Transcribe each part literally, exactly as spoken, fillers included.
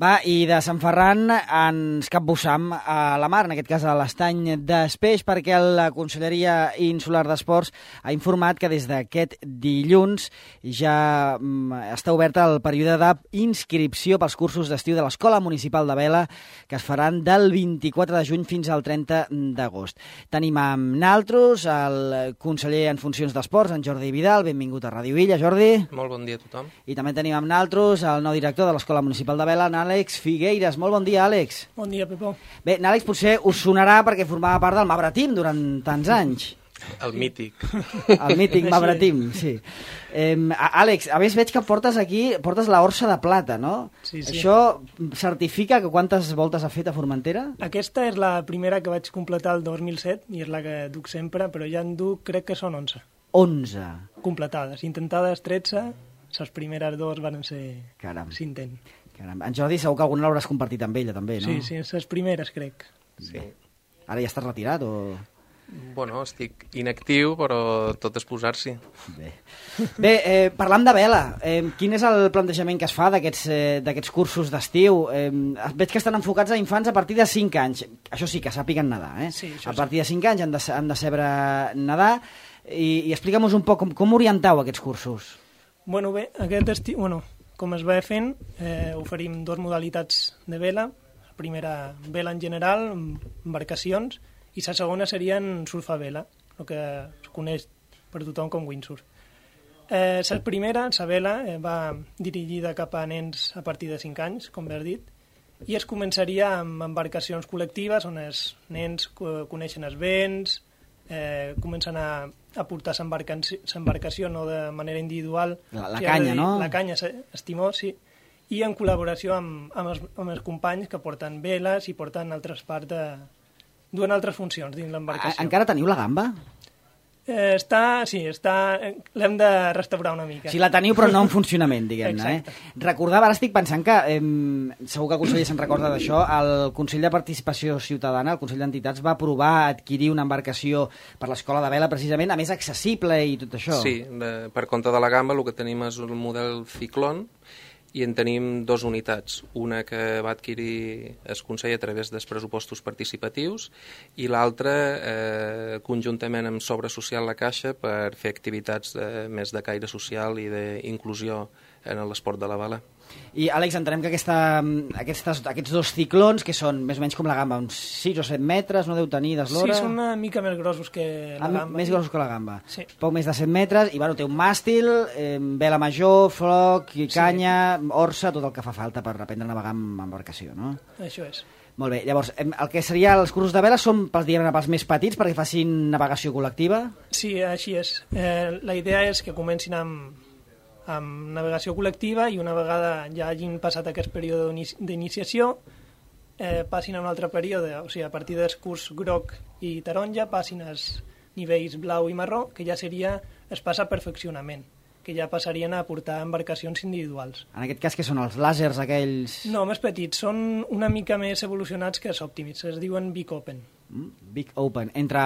Va, i de Sant Ferran ens capbussam a la mar, en aquest cas a l'estany d'Espeix, perquè la Conselleria Insular d'Esports ha informat que des d'aquest dilluns ja està obert el període d'inscripció pels cursos d'estiu de l'Escola Municipal de Vela, que es faran del vint-i-quatre de juny fins al trenta d'agost. Tenim amb naltros el conseller en funcions d'Esports, en Jordi Vidal. Benvingut a Ràdio Illa, Jordi. Molt bon dia a tothom. I també tenim amb naltros el nou director de l'Escola Municipal de Vela, Àlex Figueiras. Molt bon dia, Àlex. Bon dia, Pepó. Bé, Àlex potser us sonarà perquè formava part del Mabre Team durant tants anys. El mític. El mític Mabre Team, sí. Eh, Àlex, a més veig que portes aquí, portes la orsa de plata, no? Sí, sí. Això certifica que quantes voltes ha fet a Formentera? Aquesta és la primera que vaig completar el dos mil set i és la que duc sempre, però ja en duc, crec que són onze. onze. Completades. Intentades tretze, les primeres dues van ser Caram. cintent. Caram. En Jordi segur que alguna l'hauràs compartit amb ella, també, no? Sí, sí, les primeres, crec. Sí. Ara ja estàs retirat o...? Bueno, estic inactiu, però tot és posar-s'hi. Bé, Bé eh, parlant de vela, eh, quin és el plantejament que es fa d'aquests eh, d'aquests cursos d'estiu? Eh, veig que estan enfocats a infants a partir de cinc anys. Això sí, que sàpiguen nedar, eh? Sí, a partir de cinc anys han de, han de saber nedar. I, i explica'm-nos un poc com, com orientau aquests cursos. Bueno, bé, aquest estiu... Bueno, com es va fent, eh, oferim dues modalitats de vela. La primera, vela en general, embarcacions, i la segona serien surf a vela, el que es coneix per tothom com windsurf. Eh, la primera, la vela, eh, va dirigida cap a nens a partir de cinc anys, com bé has dit, i es començaria amb embarcacions col·lectives on els nens coneixen els vents, eh, comencen a, a portar l'embarcació no de manera individual. La, la canya, no? La canya, el timó, sí. I en col·laboració amb, amb, els, amb els companys que porten veles i porten altres parts de... duen altres funcions dins l'embarcació. Encara teniu la gamba? Eh, està, sí, està... L'hem de restaurar una mica. Sí, la teniu, però no en funcionament, diguem-ne. Eh? Recordava, ara estic pensant que, eh, segur que el conseller se'n recorda d'això, el Consell de Participació Ciutadana, el Consell d'Entitats, va aprovar adquirir una embarcació per l'Escola de Vela, precisament, a més accessible i tot això. Sí, de, per compte de la gamba el que tenim és un model Ciclón, i en tenim dues unitats, una que va adquirir el Consell a través dels pressupostos participatius i l'altra eh, conjuntament amb Sobre Social La Caixa per fer activitats de, més de caire social i d'inclusió en l'esport de la vela. I, Àlex, entenem que aquesta, aquestes, aquests dos ciclons, que són més o menys com la gamba, uns sis o set metres, no deu tenir d'eslora? Sí, són una mica més grossos que la ah, gamba. Més grossos que la gamba. Sí. Poc més de set metres, i bueno, té un màstil, eh, vela major, floc, canya, sí. Orsa, tot el que fa falta per aprendre a navegar amb embarcació, no? Això és. Molt bé, llavors, el que seria els cursos de vela són pels, diguem, pels més petits perquè facin navegació col·lectiva? Sí, així és. Eh, la idea és que comencin amb amb navegació col·lectiva i una vegada ja hagin passat aquest període d'iniciació eh, passin a un altre període, o sigui, a partir del curs groc i taronja passin als nivells blau i marró, que ja seria es passa a perfeccionament, que ja passarien a portar embarcacions individuals. En aquest cas, que són els làsers aquells? No, més petits, són una mica més evolucionats que els Optimis, es diuen Big Open. Mm, Big Open, entre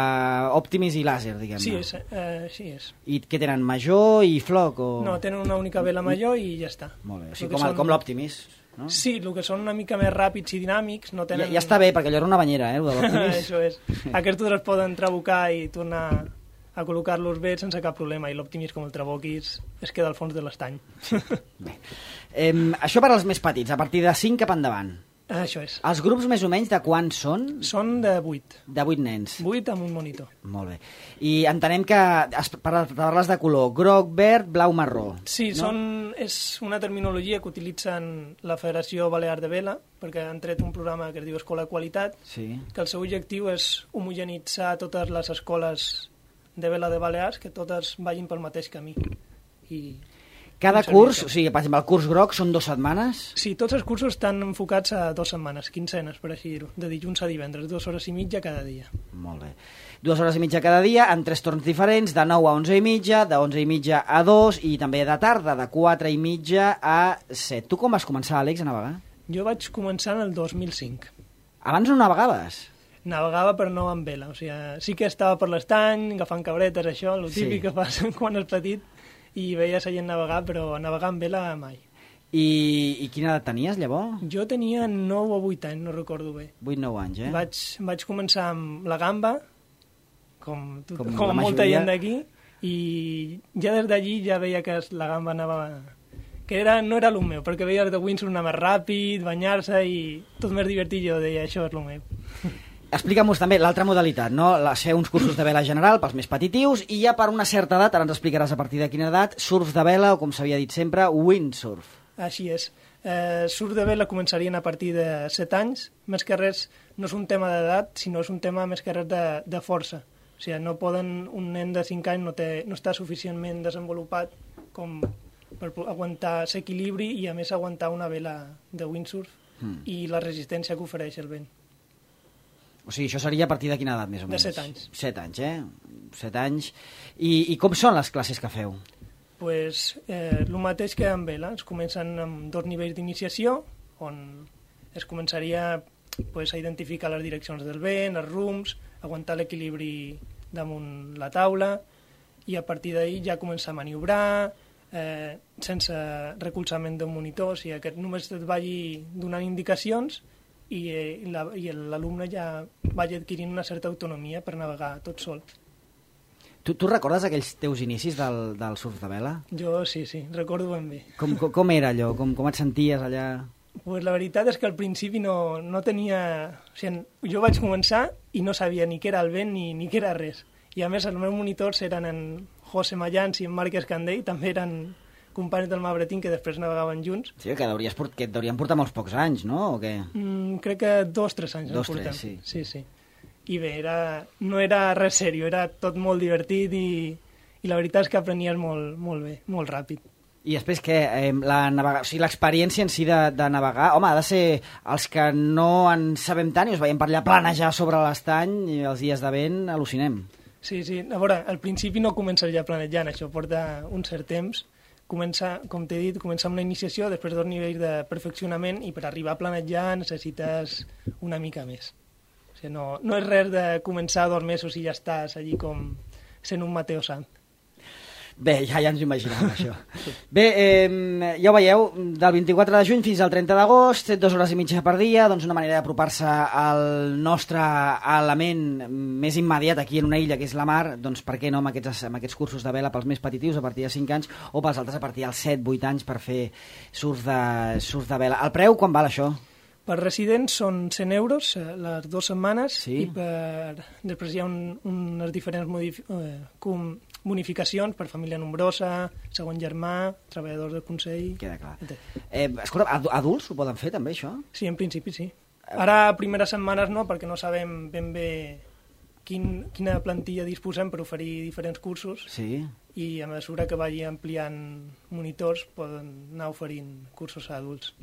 Optimis i làser, diguem-ne. Sí, és, eh, sí és. I què tenen, major i floc? O... No, tenen una única vela major i ja està. Molt bé, sí, com, són... com l'Optimis, no? Sí, el que són una mica més ràpids i dinàmics no tenen... Ja, ja està bé, perquè allò era una banyera, eh, el de l'Optimis. Això és. Aquests es poden trabucar i tornar a col·locar-los bé sense cap problema, i l'Optimis, com el traboquis, es queda al fons de l'estany. Bé. Eh, això per als més petits, a partir de cinc cap endavant. Això és. Els grups més o menys de quants són? Són de vuit. De vuit nens. Vuit amb un monitor. Molt bé. I entenem que es parles de color groc, verd, blau, marró. Sí, no? són, és una terminologia que utilitzen la Federació Balear de Vela, perquè han tret un programa que es diu Escola Qualitat, sí. Que el seu objectiu és homogenitzar totes les escoles de vela de Balears, que totes vagin pel mateix camí. I... Cada curs, o sigui, per exemple, el curs groc són dues setmanes? Sí, tots els cursos estan enfocats a dues setmanes, quinzenes, per així dir-ho, de dilluns a divendres, dues hores i mitja cada dia. Molt bé. Dues hores i mitja cada dia, en tres torns diferents, de nou a onze i mitja, de onze i mitja a dos, i també de tarda, de quatre i mitja a set. Tu com vas començar, Àlex, a navegar? Jo vaig començar en el dos mil cinc. Abans no navegaves? Navegava però no amb vela, o sigui, sí que estava per l'estany, agafant cabretes, això, el típic sí. Que fas quan és petit, i veia la gent navegar, però navegar amb vela mai. I, I quina edat tenies, llavors? Jo tenia nou o vuit anys, no recordo bé. vuit nou anys, eh? Vaig, vaig començar amb la gamba, com, tot, Com com, la molta majoria. gent d'aquí, i ja des d'allí ja veia que la gamba anava... que era, no era el meu, perquè veia que windsurf anar més ràpid, banyar-se i tot més divertit, jo deia, això és el meu. Explica'm-nos també l'altra modalitat, no? La, fer uns cursos de vela general pels més petitius i ja per una certa edat, ara ens explicaràs a partir de quina edat, surf de vela o, com s'havia dit sempre, windsurf. Així és. Eh, surf de vela començarien a partir de set anys. Més que res, no és un tema d'edat, sinó és un tema més que res de, de força. O sigui, no poden, un nen de cinc anys no, té, no està suficientment desenvolupat com per aguantar l'equilibri i, a més, aguantar una vela de windsurf mm. i la resistència que ofereix el vent. O sigui, això seria a partir de quina edat, més o menys? De set anys. Set anys, eh? Set anys. I, i com són les classes que feu? Pues, eh, el mateix que amb vela. Es comencen amb dos nivells d'iniciació, on es començaria pues, a identificar les direccions del vent, els rums, aguantar l'equilibri damunt la taula, i a partir d'ahir ja començar a maniobrar, eh, sense recolzament d'un monitor, o sigui, que només et vagi donant indicacions i, eh, la, i l'alumne ja vagi adquirint una certa autonomia per navegar tot sol. Tu, tu recordes aquells teus inicis del, del surf de vela? Jo sí, sí, recordo ben bé. Com, com, com era allò? Com, com et senties allà? Pues la veritat és que al principi no, no tenia... O sigui, jo vaig començar i no sabia ni què era el vent ni, ni què era res. I a més els meus monitors eren en José Mayans i en Marc Escandell, també eren companys del Mabretín que després navegaven junts. Sí, que, deuries, que et deurien portar molts pocs anys, no? O què? Mm, crec que dos, tres anys. Dos, tres, sí. Sí, sí. I bé, era, no era res seriós, era tot molt divertit i, i la veritat és que aprenies molt, molt bé, molt ràpid. I després què? Eh, la navega... o sigui, l'experiència en si de, de navegar, home, ha de ser els que no en sabem tant i us veiem per allà planejar sobre l'estany i els dies de vent al·lucinem. Sí, sí. A veure, al principi no comences ja planejant, això porta un cert temps. Comença, com t'he dit, comença amb una iniciació, després dos nivells de perfeccionament i per arribar a planejar necessites una mica més. O sigui, no, no és res de començar dos mesos i ja estàs allí com sent un Mateo Sant. Bé, ja, ja ens ho imaginem, això. Bé, eh, ja ho veieu, del vint-i-quatre de juny fins al trenta d'agost, dues hores i mitja per dia, doncs una manera d'apropar-se al nostre element més immediat aquí en una illa, que és la mar, doncs per què no amb aquests, amb aquests cursos de vela pels més petitius a partir de cinc anys o pels altres a partir dels set vuit anys per fer surf de, surf de vela. El preu, quan val això? Per residents són cent euros les dues setmanes sí. I per... després hi ha un, unes diferents modif... eh, com... bonificacions per família nombrosa, segon germà, treballadors del Consell... Queda clar. Eh, escolta, adults ho poden fer també, això? Sí, en principi sí. Ara, primeres setmanes no, perquè no sabem ben bé quin, quina plantilla disposem per oferir diferents cursos sí. I a mesura que vagi ampliant monitors poden anar oferint cursos a adults.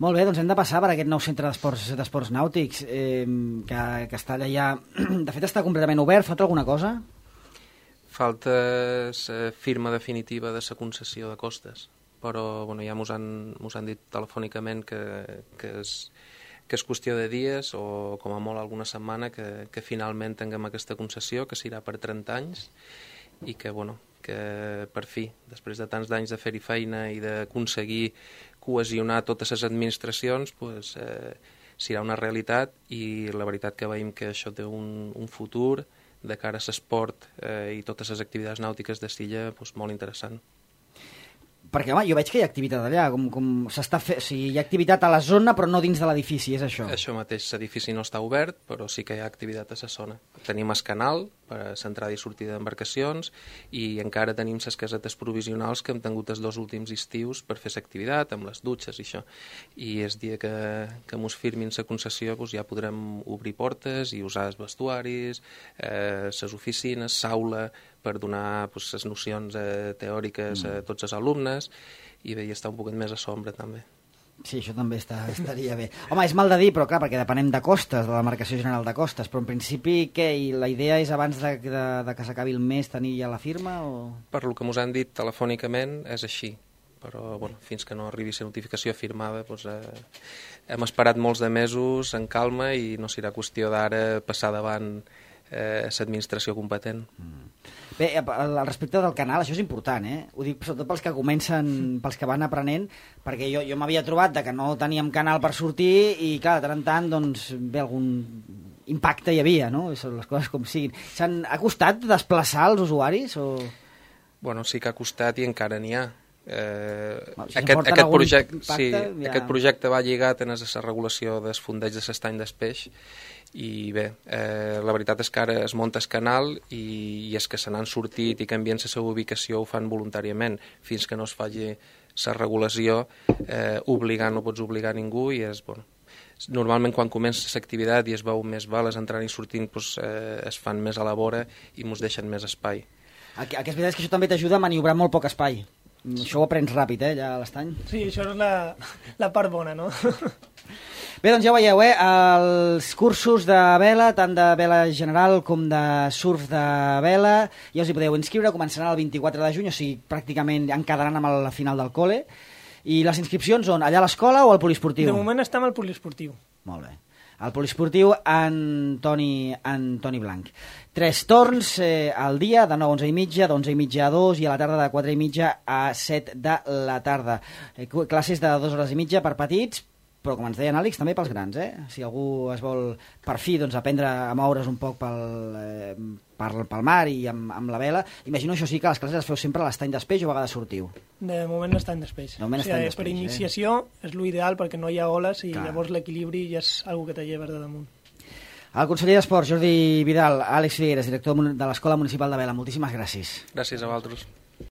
Molt bé, doncs hem de passar per aquest nou centre d'esports d'esports nàutics eh, que, que està allà ja... De fet, està completament obert. Falta alguna cosa? Falta la firma definitiva de la concessió de costes, però bueno, ja mos han, mos han dit telefònicament que, que, és, que és qüestió de dies o com a molt alguna setmana que, que finalment tinguem aquesta concessió, que serà per trenta anys i que, bueno, que per fi, després de tants d'anys de fer-hi feina i d'aconseguir cohesionar totes les administracions, pues, eh, serà una realitat i la veritat que veiem que això té un, un futur de cara a l'esport eh, i totes les activitats nàutiques de Silla doncs, molt interessant. Perquè, home, jo veig que hi ha activitat allà, com, com s'està fe... o sigui, hi ha activitat a la zona però no dins de l'edifici, és això? Això mateix, l'edifici no està obert, però sí que hi ha activitat a la zona. Tenim el canal per a l'entrada i sortida d'embarcacions i encara tenim les casetes provisionals que hem tingut els dos últims estius per fer l'activitat, amb les dutxes i això. I el dia que, que mos firmin la concessió doncs ja podrem obrir portes i usar els vestuaris, eh, les oficines, l'aula, per donar pues, les nocions eh, teòriques a tots els alumnes i bé, i estar un poquet més a sombra també. Sí, això també està, estaria bé. Home, és mal de dir, però clar, perquè depenem de costes, de la Demarcació General de Costes, però en principi què? I la idea és abans de, de, de que s'acabi el mes tenir ja la firma? O... Per lo que mos han dit telefònicament és així, però bueno, fins que no arribi la notificació firmada doncs, eh, hem esperat molts de mesos en calma i no serà qüestió d'ara passar davant eh, l'administració competent. Mm. Bé, al respecte del canal, això és important, eh? Ho dic sobretot pels que comencen, pels que van aprenent, perquè jo, jo m'havia trobat de que no teníem canal per sortir i, clar, de tant en tant, doncs, bé, algun impacte hi havia, no? Són les coses com siguin. S'han ha costat desplaçar els usuaris? O... Bueno, sí que ha costat i encara n'hi ha. Eh, bueno, si aquest, aquest, projecte, impacte, sí, ja... aquest projecte va lligat en la regulació dels fondeig de l'estany d'Espeix i bé, eh, la veritat és que ara es munta el canal i, i és que se n'han sortit i canvien la seva ubicació ho fan voluntàriament fins que no es faci la regulació eh, obligant, no pots obligar ningú i és, bueno, normalment quan comença l'activitat i es veu més bales entrant i sortint doncs, eh, es fan més a la vora i mos deixen més espai. El que és veritat és que això també t'ajuda a maniobrar molt poc espai. Això ho aprens ràpid, eh, ja a l'estany. Sí, això és la, la part bona, no? Bé, doncs ja ho veieu, eh, els cursos de vela, tant de vela general com de surf de vela, ja us hi podeu inscriure, començaran el vint-i-quatre de juny, o sigui, pràcticament ja en quedaran amb la final del col·le. I les inscripcions on? Allà a l'escola o al poliesportiu? De moment estem al poliesportiu. Molt bé. Al poliesportiu Antoni, Antoni Blanc. Tres torns eh, al dia, de nou a onze i mitja, d'onze i mitja a dos i a la tarda de quatre i mitja a set de la tarda. Eh, classes de dues hores i mitja per petits, però com ens deia Àlex, també pels grans, eh? Si algú es vol, per fi, doncs, aprendre a moure's un poc pel, eh, per, pel mar i amb, amb la vela, imagino això sí que les classes les feu sempre a l'estany d'Espeix o a vegades sortiu? De moment l'estany d'Espeix. De moment o sigui, estany d'Espeix, per iniciació eh? és l'ideal perquè no hi ha oles i Clar. Llavors l'equilibri ja és una que te lleves de damunt. El conseller d'Esports, Jordi Vidal, Àlex Figueres, director de l'Escola Municipal de Vela, moltíssimes gràcies. Gràcies a vosaltres.